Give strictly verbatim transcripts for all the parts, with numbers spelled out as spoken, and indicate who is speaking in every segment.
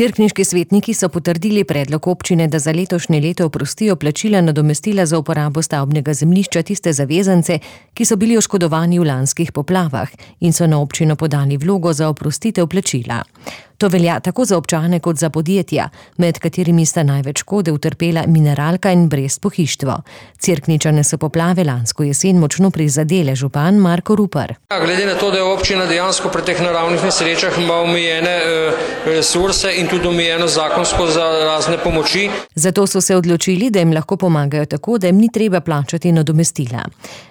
Speaker 1: Cerkniški svetniki so potrdili predlog občine, da za letošnje leto oprostijo plačila nadomestila za uporabo stavbnega zemljišča tiste zavezance, ki so bili oškodovani v lanskih poplavah in so na občino podali vlogo za oprostitev plačila. To velja tako za občane kot za podjetja, med katerimi sta največ škode utrpela Mineralka in Brest-Pohištvo. Cerkničane so poplave lansko jesen močno prizadele, župan Marko Rupar.
Speaker 2: Ja, glede na to, da je občina dejansko pri teh naravnih nesrečah ima omejene resurse in tudi omejeno zakonsko za razne pomoči.
Speaker 1: Zato so se odločili, da jim lahko pomagajo tako, da jim ni treba plačati nadomestila.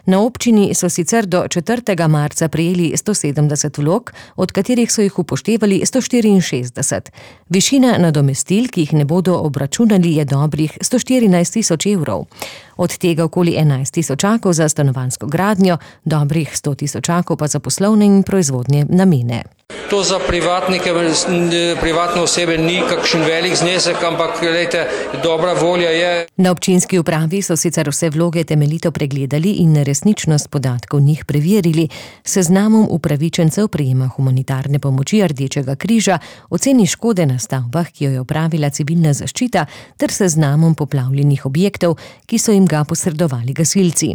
Speaker 1: Na občini so sicer do četrtega marca prejeli sto sedemdeset vlog, od katerih so jih upoštevali sto štiriinšestdeset. Višina nadomestil, ki jih ne bodo obračunali, je dobrih sto štirinajst tisoč evrov. Od tega okoli enajst tisočakov za stanovanjsko gradnjo, dobrih sto tisočakov pa za poslovne in proizvodne namene.
Speaker 2: To za privatnike, privatne osebe ni kakšen velik znesek, ampak glejte, dobra volja je.
Speaker 1: Na občinski upravi so sicer vse vloge temeljito pregledali in resničnost podatkov njih preverili, seznamom upravičencev prejema humanitarne pomoči Rdečega križa, oceni škode na stavbah, ki jo je opravila civilna zaščita, ter seznamom poplavljenih objektov, ki so jim ga posredovali gasilci.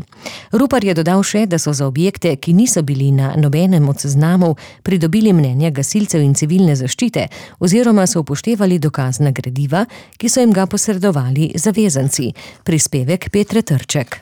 Speaker 1: Rupar je dodal še, da so za objekte, ki niso bili na nobenem od seznamov, pridobili mnenja gasilcev in civilne zaščite oziroma so upoštevali dokazna gradiva, ki so jim ga posredovali zavezanci. Prispevek Petre Trček.